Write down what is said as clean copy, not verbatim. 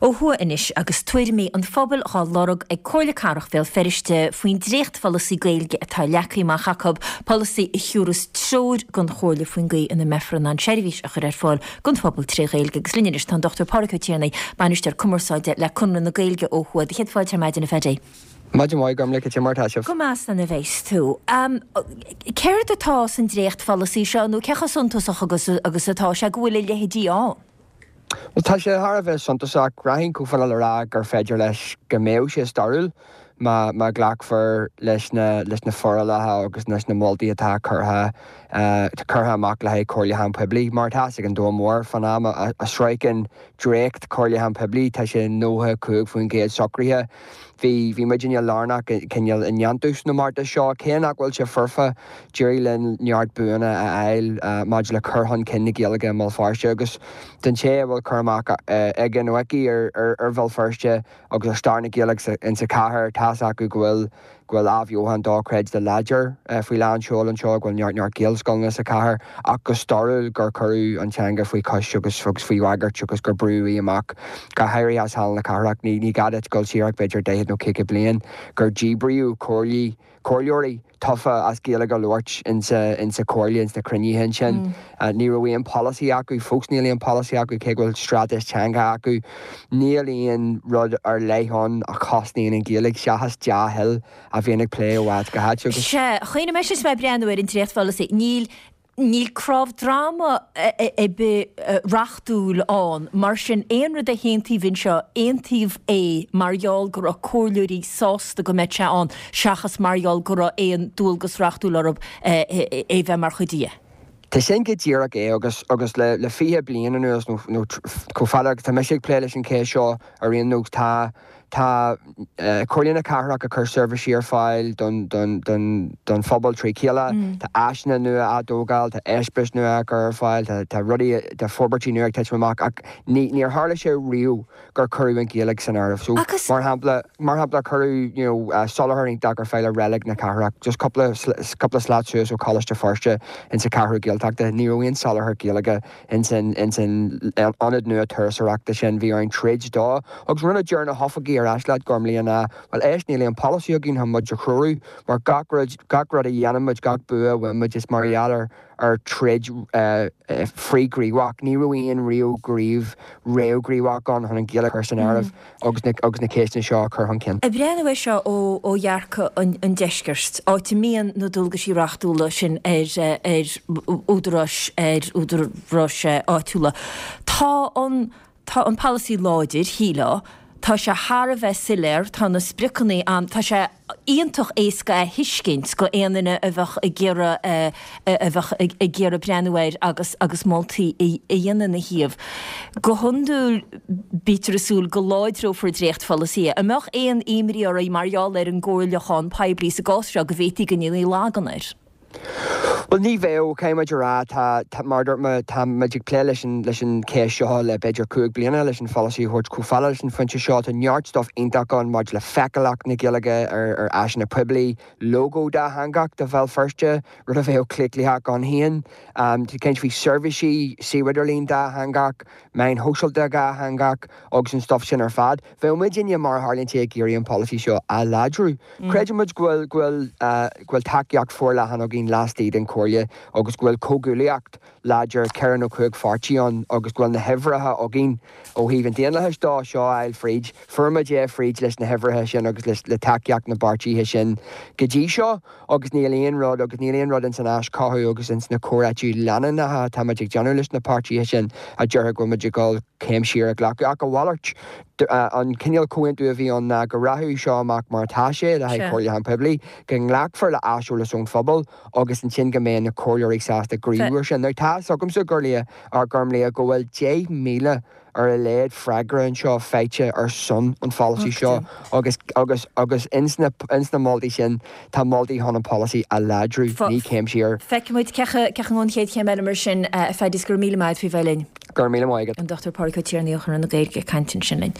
Ó thuaidh anois agus tuairimí an phobail dhá lorg ag Comhairle Cathrach Bhéal Feirste faoin dréachtpholasaí Gaeilge atá leagtha amach acu, polasaí a thiúrfas treoir don Chomhairle faoin gcaoi ina mbeifear in ann seirbhís a chur ar fáil don phobal tré Ghaeilge. Agus linn anois tá an Dr Pádraig Ó Tiarnaigh, Bainisteoir Cumarsáide le Conradh na Gaeilge ó thuaidh. Do chéad fáilte ar maidin a Phaddy. Maidin mhaith, Gormlaith, cad é mar atá sibh? Go maith slán a bheas tú. Céard atá san dréachtpholasaí seo nó cé chomh suntasach agus agus atá sé go bhfuil a leithéidí ann? Bhuel, tá sé thar a bheith suntasach. Rachainn chomh fada le rá gur féidir leis go mbeadh sé stairiúil má má ghlacfar leis na leis na forálacha agus leis na moltaí atá curtha curtha amach le haghaidh comhairliúchán poiblí. Mar atá fhios ag an domhan mór, fán am a a sroicheann dréacht comhairliúchán poiblí tá sé 95% socraithe. Bhí, bhí muidinne lárnach cineál i ndéantús na mbeartas seo. Cé nach bhfuil sé foirfe, d'éirigh linn neart buanna a fháil maidir le cur chun cinn na Gaeilge i mBéal Feirste agus don té a bhfuil cur amach aige nó aici ar ar Bhéal Feirste agus ar stair na Gaeilge insa chathair, tá's acu go bhfuil go bhfuil athbheochan dochreidte láidir faoi lán seoil anseo, go bhfuil neart neart Gaelscoileanna sa chathair ach go stairiúil gur cuireadh an teanga faoi chois agus agus faoi bhagairt agus gur brúdh í amach, go háirithe as Halla na Cathrach. Ní ní gá duit dul siar ach b'fhéidir daichead nó 50 bliain gur díbríodh comhairlí, comhairleoirí tofa as Gaeilge a labhairt insa insa chomhairle, ins na cruinnithe ansin. Ní raibh aon pholasaí acu, fós níl aon pholasaí acu cé go bhfuil straitéis teanga acu. Níl aon rud ar leith ann a chosnaíonn an Ghaeilge seachas dea-thoil a bhíonn ag plé ó áit go háit agus. Sea, chuimhnigh mise is mé ag breathnú ar an dréachtpholasaí, níl, níl cnámh droma ar bith reachtúil ann, mar sin aon rud a haontaíodh anseo, aontaíodh é mar gheall go raibh comhairleoirí sásta go mbeadh sé ann seachas mar gheall go raibh aon dualgas reachtúil orthu é a bheith mar chuid dhe. Tá sin go díreach é agus agus le le 20 bliain anuas nó nó chomh fada agus tá mise ag plé leis an cheist seo ar aon nós tá tá Comhairle na Cathrach ag cur seirbhísí ar fáil don don don don phobal trí chéile, tá áiseanna nua á dtógáil, tá eispéiris nua á gcur ar fáil, tá tá rudaí tá forbairtí nua ag titim amach ach ní níor tharla sé riamh gur cuireadh an Ghaeilge san áireamh. So, mar shampla, mar shampla cuireadh, you know, soláthar iontach ar fáil i Reilig na Cathrach, just cúpla, cúpla slat suas ó Choláiste Feirste insa Cheathrú Gaeltachta, ní raibh aon soláthar Gaeilge ins an, ins an ionad nua turasóireachta sin, bhí orainn troid dó. Agus rud a deir na hoifigigh ar ais leat, Gormlaith, ná, bhuel, éist, níl aon polasaí againn chun muid a threorú, mar gach rud, gach rud a dhéanann muid, gach bua a bhain muid, is mar gheall ar, ar troid frithghníomhach. Ní raibh aon riamh gníomh réamhghníomhach ann chun an Ghaeilge a chur san áireamh agus na agus na ceisteanna seo a chur chun cinn. Ag breathnú air seo ó ó dhearcadh an an deiscirt, áit a mbíonn na dualgaisí reachtúla sin ar ar údaráis ar údaráis áitiúla, tá an Tá an polasaí láidir, shílfeá. Tá sé thar a bheith soiléir, tá na spriocanna ann, tá sé iontach éasca a thuiscint go aon duine a bheadh ag iarraidh a bheadh ag iarraidh breathnú air agus agus moltaí a dhéanamh ina thaobh. Go hiondúil bítear ag súil go láidreofar dréachtpholasaithe. An mbeadh aon imní oraibh mar gheall ar an gcomhairliúchán poiblí sa gcás seo go bhféadfaí go ndéanfaí lagan air? Bhuel, ní bheadh, caithfidh muid a rá, tá, tá, mar a dúirt mé, tá muid ag plé leis an, leis an cheist seo le b'fhéidir 5 bliana, leis an pholasaí a thabhairt chomh fada leis an phointe seo. Tá neart stuff iontach ann maidir le feiceálacht na Gaeilge ar, ar áiseanna poiblí, lógó dátheangach do Bhéal Feirste, rud a bheadh claochlaitheach ann féin. Tá caint faoi seirbhísí suíomh idirlín dátheangach, meáin shóisialta dhátheangach agus an stuff sin ar fad. Bheadh muidinne, mar a tharlaíonn sé, ag iarraidh an polasaí seo a láidriú. Creideann muid go bhfuil, go bhfuil, go bhfuil tacaíocht forleathan againn laistigh den Chomhairle agus go bhfuil comhghuaillíocht láidir ceithre nó chúig pháirtí ann agus go bhfuil na huimhreacha againn ó thaobh an daonlathais dó seo a fháil fríd. Fuair muid é fríd leis na huimhreacha sin agus le, le tacaíocht na bpáirtithe sin go dtí seo agus níl aon rud, agus níl aon rud ins an aischothú agus ins na comhráití leanúnacha atá muid ag déanamh leis na páirtithe sin a déarfadh go bhfuil muid ag dul céim siar a ghlacadh ach a mhalairt. An cineál comhaontú a bhí ann ná go rachadh seo amach mar atá sé le haghaidh comhairliúchán poiblí, go nglacfar le haiseolas ón phobal agus ansin go mbeidh na comhairleoirí sásta gníomhú air sin. Now tá fhios agamsa, Gormlaith, go bhfuil 10,000 ar a laghad freagra anseo faighte ar son an pholasaí seo agus agus agus ins na ins na moltaí sin tá moltaí chun an polasaí a láidriú, ní céim siar. Feicfidh muid cé acu an chéad chéim eile mar sin, a Phaddy, is go raibh míle maith agat faoi bheith linn. Go raibh míle maith agat. An Dr Pádraig Ó Tiarnaigh ó Chonradh na Gaeilge ag caint ansin linn.